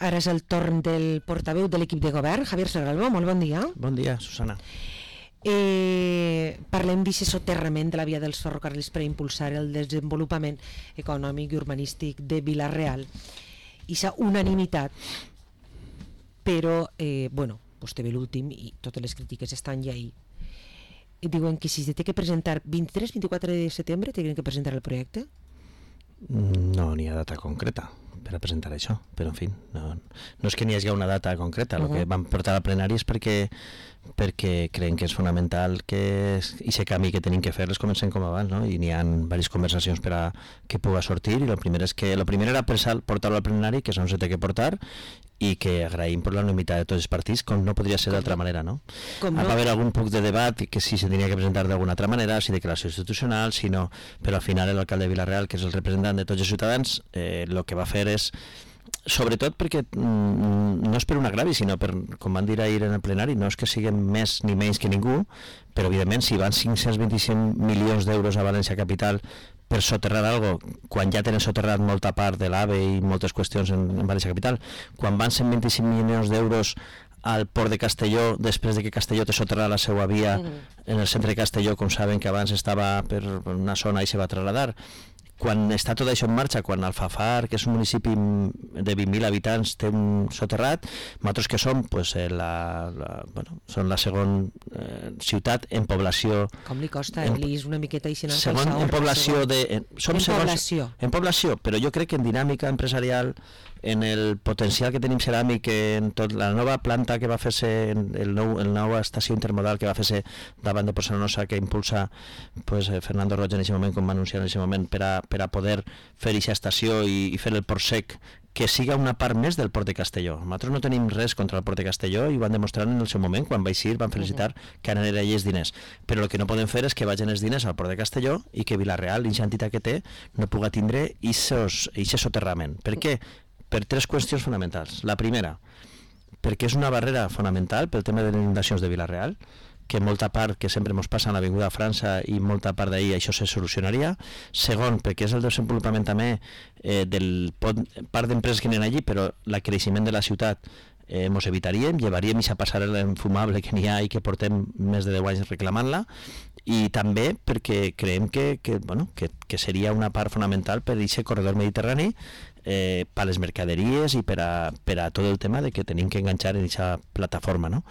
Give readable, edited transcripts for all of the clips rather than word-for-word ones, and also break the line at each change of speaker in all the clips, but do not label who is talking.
Ara és el torn del portaveu de l'equip de govern, Javier Serralbo. Molt bon dia.
Bon dia, Susana.
Parlem d'aquest soterrament de la via dels ferrocarrils per impulsar el desenvolupament econòmic i urbanístic de Vila-real. Ixa unanimitat, però, vostè ve l'últim i totes les crítiques estan ja ahí. Diuen que si se té que presentar 23-24 de setembre, tenen que presentar el projecte?
No n'hi ha data concreta per a presentar això, però en fi, no és que n'hi hagi una data concreta. El que vam portar al plenari és perquè creiem que és fonamental que aquest camí que tenim que fer les comencem com abans, no? I n'hi ha diverses conversacions per a que puga sortir, i el primer era portar-lo al plenari, que és on se té que portar, i que agraïm per la unanimitat de tots els partits, com no podria ser d'altra manera, no? Va haver algun punt de debat que si se tenia que presentar d'alguna altra manera, si declaració institucional, si no, però al final l'alcalde de Vila-real, que és el representant de tots els ciutadans, el que va fer és, sobretot perquè no és per un agravi, sinó per, com van dir ahir en el plenari, no és que siguem més ni menys que ningú, però evidentment si van 525 milions d'euros a València Capital per soterrar algo, quan ja tenen soterrat molta part de l'AVE i moltes qüestions en València Capital, quan van 125 milions d'euros al port de Castelló, després de que Castelló té soterrat la seva via en el centre de Castelló, com saben que abans estava per una zona i se va trasladar. Quan està tot això en marxa, quan Alfafar, que és un municipi de 20.000 habitants, té un soterrat, nosaltres que som, són la segona ciutat en població.
Com li costa, Elis, una miqueta així?
Segon en població en població, però jo crec que en dinàmica empresarial, en el potencial que tenim ceràmic, en tot la nova planta que va fer-se, el nova estació intermodal que va fer-se davant de Poçanosa, que impulsa Fernando Roig en aquest moment, com va anunciar en aquest moment, per a poder fer aquesta estació i fer el port sec, que siga una part més del port de Castelló. Nosaltres no tenim res contra el port de Castelló i ho van demostrar en el seu moment, quan va eixir van felicitar que anaven allà els diners, però el que no podem fer és que vagin els diners al port de Castelló i que Vila-real, la entitat que té, no puga tindre aquest soterrament. Per què? Per tres qüestions fonamentals. La primera, perquè és una barrera fonamental pel tema de les inundacions de Vila-real, que molta part que sempre ens passa a l'Avinguda a França i molta part d'ahir això se solucionaria. Segon, perquè és el desenvolupament també del part d'empreses que n'hi ha allí, però el creixement de la ciutat ens evitaríem, llevaríem aquesta passarel·la infumable que n'hi ha i que portem més de 10 anys reclamant-la, i també perquè creiem que seria una part fonamental per aquest corredor mediterrani, per les mercaderies i per a tot el tema de que tenim que enganxar en aquesta plataforma, no?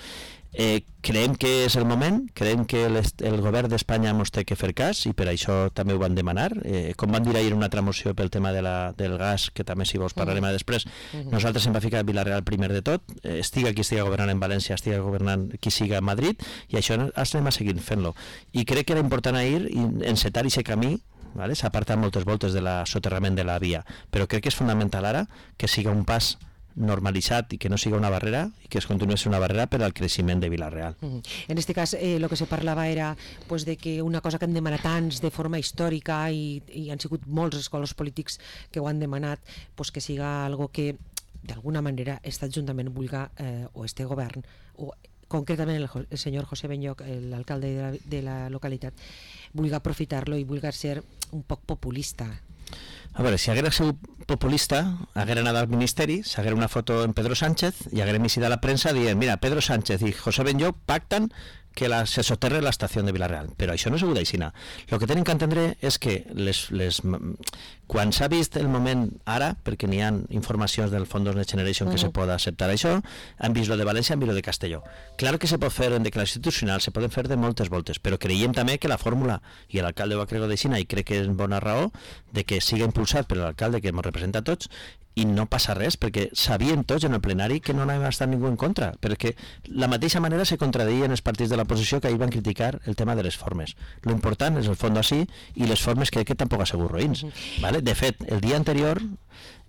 Creiem que és el moment, creiem que el govern d'Espanya ens té que fer cas i per això també ho van demanar, com van dir ahir en una altra moció pel tema del gas, que també si vols parlarem després. Nosaltres hem va ficar Vila-real primer de tot, estiga qui estiga governant en València, estiga governant qui siga a Madrid, i això anem a seguir fent-lo, i crec que era important ahir encetar aquest camí. S'ha apartat moltes voltes de la soterrament de la via, però crec que és fonamental ara que siga un pas normalitzat i que no siga una barrera, i que es continuï sent una barrera per al creixement de Vila-real.
En aquest cas, el que se parlava era de que una cosa que han demanat tants de forma històrica i han sigut molts els colors polítics que ho han demanat, que siga algo que d'alguna manera aquest Ajuntament vulga, o este govern, o concretament el senyor José Benyoc, l'alcalde de la localitat, vulga aprofitar-lo i vulga ser un poc populista.
A veure, si haguera sigut populista, haguera anat al Ministeri, s'haguera una foto en Pedro Sánchez i haguera emitit a la premsa dient, mira, Pedro Sánchez i José Benyoc pactan que se soterre la estació de Vila-real, però això no ha sigut així. El que tenim que entendre és que quan s'ha vist el moment ara, perquè n'hi ha informacions del Fons Next Generation que se pot acceptar això, han vist lo de València, han vist lo de Castelló. Clar que se pot fer en declaració institucional, se poden fer de moltes voltes, però creiem també que la fórmula, i l'alcalde ho ha cregut d'aixina, i crec que és bona raó, de que siga impulsat per l'alcalde que ens representa a tots, i no passa res, perquè sabien tots en el plenari que no anava a estar ningú en contra, perquè la mateixa manera se contradeien els partits de l'oposició que ahir van criticar el tema de les formes. Lo important és el fons així, i les formes crec que tampoc ha sigut roïns. De fet, el dia anterior,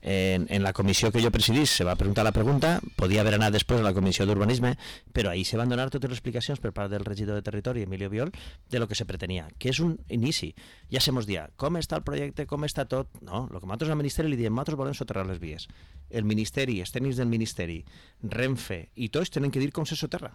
en la comissió que jo presidís, se va preguntar la pregunta, podia haver anat després a la comissió d'urbanisme, però ahir se van donar totes les explicacions per part del regidor de Territori, Emilio Biol, de lo que se pretenia, que és un inici. Ja se mos dia, com està el projecte, com està tot? No, el que nosaltres al Ministeri li diem, nosaltres volem soterrar les vies. El Ministeri, els tècnics del Ministeri, Renfe i tots tenen que dir com se soterra.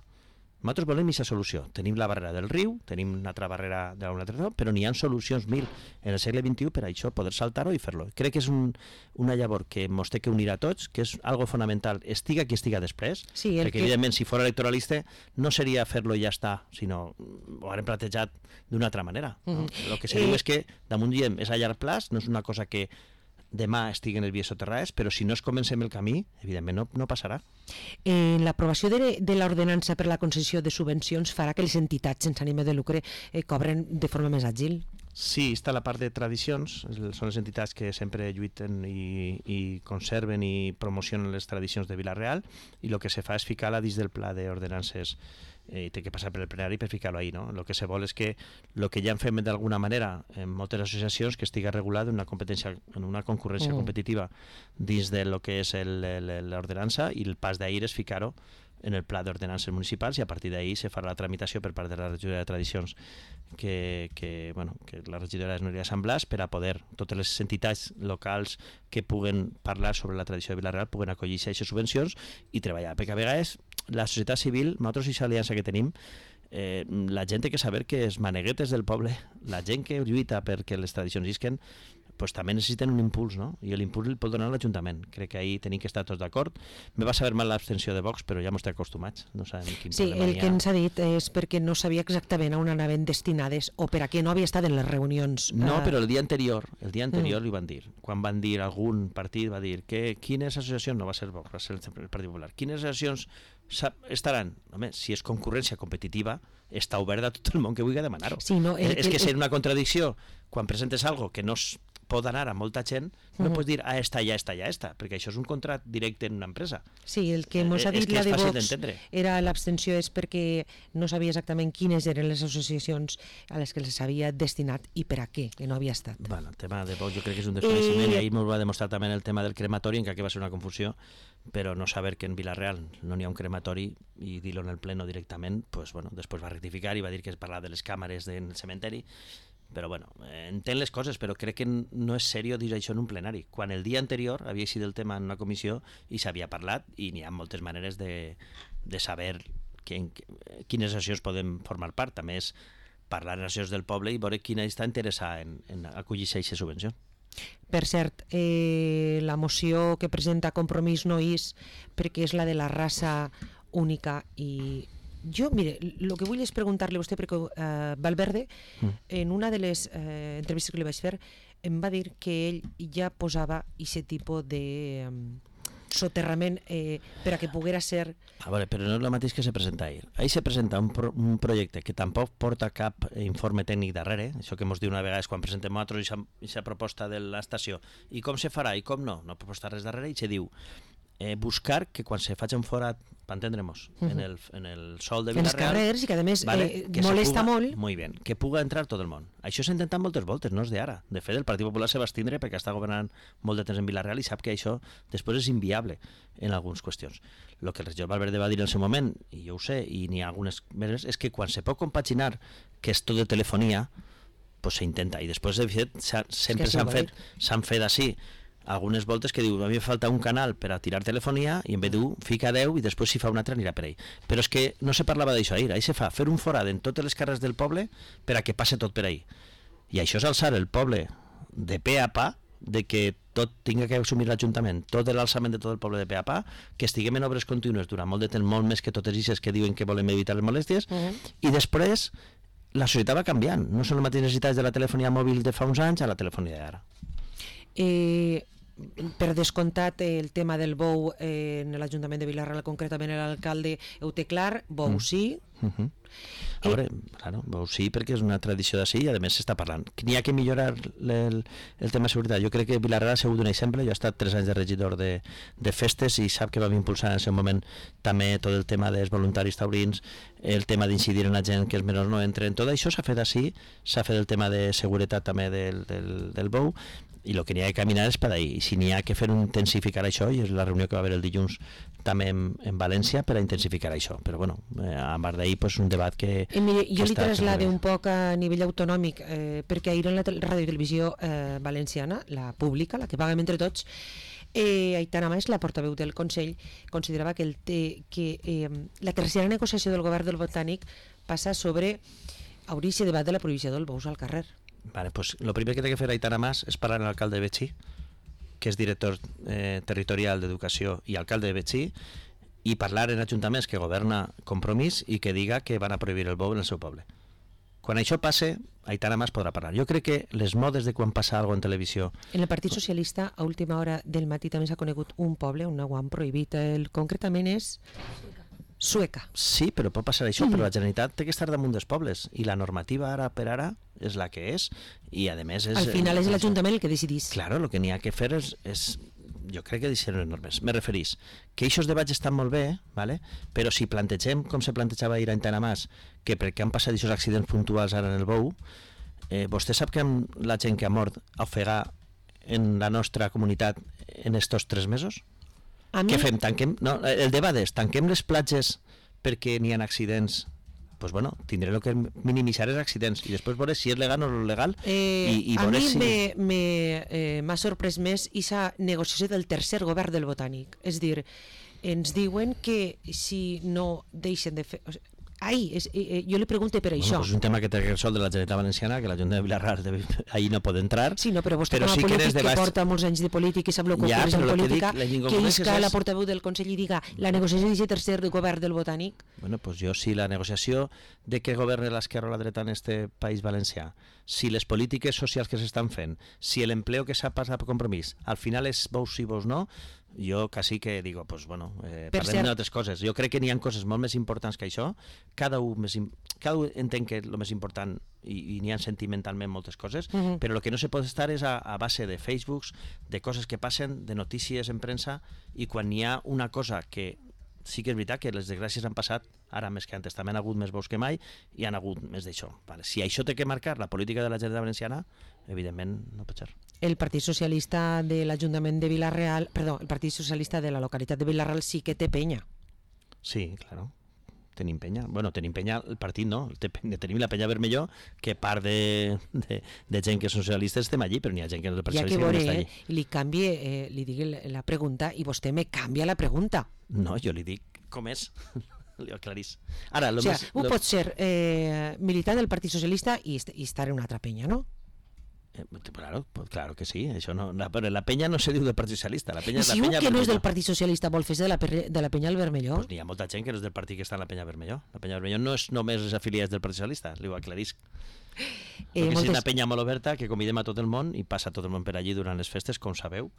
Nosaltres volem aquesta solució. Tenim la barrera del riu, tenim una altra barrera de una altra, però n'hi ha solucions 1000 en el segle XXI per a això, poder saltar-ho i fer-lo. Crec que és una llavor que ens té que unir a tots, que és algo fonamental, estiga qui estiga després, perquè evidentment si fos electoralista no seria fer-lo i ja està, sinó ho haurem plantejat d'una altra manera. No? El que se diu és que damunt diem és a llarg plaç, no és una cosa que demà estiguen les vies soterrades, però si no es comencem el camí, evidentment no passarà.
L'aprovació de l'ordenança per la concessió de subvencions farà que les entitats sense ànim de lucre cobren de forma més àgil?
Sí, està la part de tradicions, són les entitats que sempre lluiten i conserven i promocionen les tradicions de Vila-real, i el que se fa és ficar-la dins del pla d'ordenances i té que passar per el plenari per ficar-lo ahí, no? El que se vol és que el que ja en fem d'alguna manera en moltes associacions que estiga regulat en una competència, en una concurrència competitiva dins de lo que és l'ordenança, i el pas d'ahir és ficar-ho en el pla d'ordenances municipals, i a partir d'ahir se farà la tramitació per part de la regidoria de tradicions que la regidora és Núria Samblàs, per a poder, totes les entitats locals que puguen parlar sobre la tradició de Vila-real puguen acollir-se a aquestes subvencions i treballar, perquè a vegades la societat civil, nosaltres i l'aliança que tenim, la gent té que saber que els maneguetes del poble, la gent que lluita perquè les tradicions isquen, pues també necessiten un impuls, no? I l'impuls el pot donar l'Ajuntament. Crec que ahir tenim que estar tots d'acord. Me va saber mal l'abstenció de Vox, però ja m'ho estic acostumats. No sabem quin
sí, el que ens ha dit és perquè no sabia exactament a on anaven destinades o per a què no havia estat en les reunions.
No, però el dia anterior li van dir. Quan van dir, algun partit va dir que quines associacions, no va ser Vox, va ser el Partit Popular, quines associacions estaran? Home, si és concurrència competitiva, està oberta a tot el món que vulgui demanar-ho.
Sí, no,
és que ser una contradicció quan presentes algo que no pot anar a molta gent, no pots dir esta, perquè això és un contracte directe en una empresa.
Sí, el que ens ha dit la de Vox era l'abstenció és perquè no sabia exactament quines eren les associacions a les que les havia destinat i per a què, que no havia estat.
Bueno, el tema de Vox jo crec que és un desconeixement, i ahir ens va demostrar també el tema del crematori, en què va ser una confusió, però no saber que en Vila-real no n'hi ha un crematori i dir-lo en el pleno directament, pues, bueno, després va rectificar i va dir que es parlava de les càmeres del cementeri. Però bueno, entenc les coses, però crec que no és seriós dir això en un plenari, quan el dia anterior havia sigut el tema en una comissió i s'havia parlat, i n'hi ha moltes maneres de saber quines associacions poden formar part. També és parlar en associacions del poble i veure quina està interessada en acollir-se a aquesta subvenció.
Per cert, la moció que presenta Compromís no és perquè és la de la raça única i... Jo, mire, el que vull és preguntar-li a vostè, perquè Valverde, en una de les entrevistes que li vaig fer, em va dir que ell ja posava aquest tipus de soterrament per a que poguera ser...
A veure, però no és el mateix que se presenta ahir. Ahir se presenta un projecte que tampoc porta cap informe tècnic darrere, això que ens diu una vegada és quan presentem nosaltres aquesta proposta de l'estació, i com se farà i com no proposta res darrere, i se diu buscar que quan se faci un forat, per entendre-nos, en el sol de Vila-real...
En els carrers, i que a més molesta molt...
Molt bé, que puga entrar tot el món. Això s'ha intentat moltes voltes, no és d'ara. De fet, el Partit Popular se va estindre perquè està governant molt de temps en Vila-real i sap que això després és inviable en algunes qüestions. El que el regidor Valverde va dir en el seu moment, i jo ho sé, i n'hi ha algunes maneres, és que quan se pot compaginar que és tot de telefonia, pues s'intenta. I després, de fet, sempre s'han fet així. Algunes voltes que diu, a mi em falta un canal per a tirar telefonia i en vez d'un fica 10 i després si fa un altre anirà per ell. Però és que no se parlava d'això ahir, ahir se fa fer un forat en totes les carrers del poble per a que passe tot per ahir. I això és alçar el poble de pe a pa, de que tot tinga que assumir l'Ajuntament, tot l'alçament de tot el poble de pe a pa, que estiguem en obres contínues durant molt de temps, molt més que totes aquestes que diuen que volem evitar les molèsties, i després la societat va canviant. No són les mateixes necessitats de la telefonia mòbil de fa uns anys a la telefonia d'ara.
Per descomptat, el tema del bou en l'Ajuntament de Vila-real, concretament l'alcalde ho té clar, bou sí.
A veure, claro, bou sí, perquè és una tradició d'ací i a més s'està parlant. N'hi ha que millorar el tema de seguretat. Jo crec que Vila-real ha sigut un exemple. Jo he estat 3 anys de regidor de festes i sap que vam impulsar en el seu moment també tot el tema dels voluntaris taurins, el tema d'incidir en la gent que els menors no entren. Tot això s'ha fet així, s'ha fet el tema de seguretat també del bou, i el que n'hi ha que caminar és per ahí. I si n'hi ha que fer intensificar això, i és la reunió que va haver el dilluns també en València per a intensificar això. Però bueno, a part d'ahir és un debat que...
Mire, jo li traslade un poc a nivell autonòmic, perquè ahir en la radiotelevisió valenciana, la pública, la que paguem entre tots, Aitana Mas, la portaveu del Consell, considerava que la tercera negociació del govern del Botànic passa sobre obrir aquest debat de la prohibició del bous al carrer.
Vale, pues lo primer que té que fer Aitana Mas és parlar amb l'alcalde de Betxí, que és director territorial d'Educació i alcalde de Betxí, i parlar en ajuntaments que governa Compromís i que diga que van a prohibir el bou en el seu poble. Quan això passe, Aitana Mas podrà parlar. Jo crec que les modes de quan passa alguna cosa en televisió...
En el Partit Socialista, a última hora del matí també s'ha conegut un poble on ho han prohibit. Concretament és Sueca.
Sí, però pot passar això, però la Generalitat té que estar damunt dels pobles i la normativa ara per ara és la que és i a més és...
Al final és l'Ajuntament el que decidís.
Claro, el que n'hi ha que fer és jo crec que deixen les normes. Me referís que aquests debats estan molt bé, ¿vale? Però si plantegem, com se plantejava ahir a Aitana Mas, que perquè han passat aquests accidents puntuals ara en el bou, vostè sap que la gent que ha mort a ofegar en la nostra comunitat en estos 3 mesos? Què fem? Tanquem? No, el debat és, tanquem les platges perquè n'hi ha accidents? Pues bueno, tindré el que minimitzar els accidents i després veure si és legal o no legal i
a mi m'ha sorprès més aquesta negociació del tercer govern del Botànic, és dir, ens diuen que si no deixen de fer... jo li pregunto per això.
És un tema que té que resoldre la Generalitat Valenciana, que l'Ajuntament de Vilarrar ahir no pot entrar.
Sí, no, però vostè com a polític que porta molts anys de política i sap el que és en política, que isca la portaveu del Consell i diga la negociació d'aquest tercer govern del Botànic.
Bueno, pues jo si la negociació de què governa l'esquerra o la dreta en este país valencià, si les polítiques socials que s'estan fent, si l'empleo que s'ha passat per Compromís, al final és bous sí, bous no, jo quasi que digo, pues bueno, parlem d'altres coses. Jo crec que n'hi ha coses molt més importants que això, cada un entén que és el més important i n'hi ha sentimentalment moltes coses, però el que no se pot estar és a base de Facebooks, de coses que passen, de notícies en premsa, i quan n'hi ha una cosa que sí que és veritat que les desgràcies han passat ara més que antes, també han hagut més bous que mai i han hagut més d'això. Vale. Si això té que marcar la política de la Generalitat Valenciana, evidentment no pot ser.
El Partit Socialista de l'Ajuntament de Vila-real, perdó, el Partit Socialista de la localitat de Vila-real sí que té penya.
Sí, claro. Tenim penya. Bueno, tenim penya, el partit no, tenim la penya Vermelló, que part de gent que són socialistes estem allí, però n'hi ha gent que no és
socialista que no està allí. Li canvie, li digui la pregunta i vostè me canvia la pregunta.
No, jo li dic com és. Li ho aclarís. Ara,
pot ser militant del Partit Socialista i estar en una altra penya, no?
Claro que sí, això no, però la penya no se diu del Partit Socialista.
I si un que no és del Partit Socialista vol fer-se de la penya al Vermelló?
Pues n'hi ha molta gent que no és del partit que està en la penya Vermelló. La penya Vermelló no és només els afiliats del Partit Socialista, li ho aclarisc. És una penya molt oberta que convidem a tot el món i passa tot el món per allí durant les festes, com sabeu,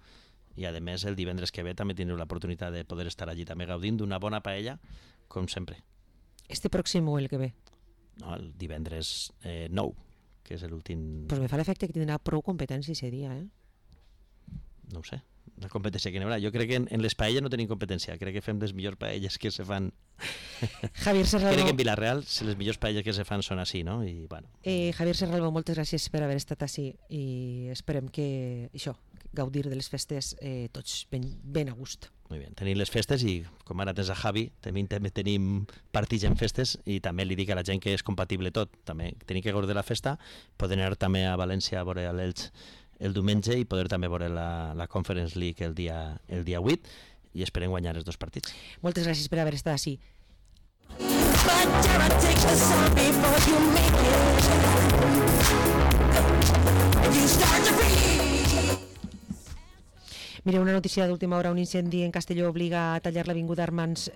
i a més el divendres que ve també tindreu l'oportunitat de poder estar allí també gaudint d'una bona paella, com sempre.
Este pròxim o el que ve?
No, el divendres 9, que és l'últim...
Pues me fa l'efecte que tindrà prou competència ese dia,
No ho sé, la competència que n'hi haurà. Jo crec que en les paelles no tenim competència, crec que fem les millors paelles que se fan.
Javier Serralvo...
Crec que en Vilareal les millors paelles que se fan són així, no? I, bueno.
Javier Serralvo, moltes gràcies per haver estat així i esperem que això, gaudir de les festes tots ben a gust.
Molt bé, tenim les festes i com ara tens a Javi, també tenim partits en festes i també li dic a la gent que és compatible tot, també tenim que gaudir de la festa, poder anar també a València a veure l'Elx el diumenge i poder també veure la Conference League el dia 8 i esperem guanyar els 2 partits.
Moltes gràcies per haver estat així. Mira, una notícia d'última hora, un incendi en Castelló obliga a tallar l'avinguda Germans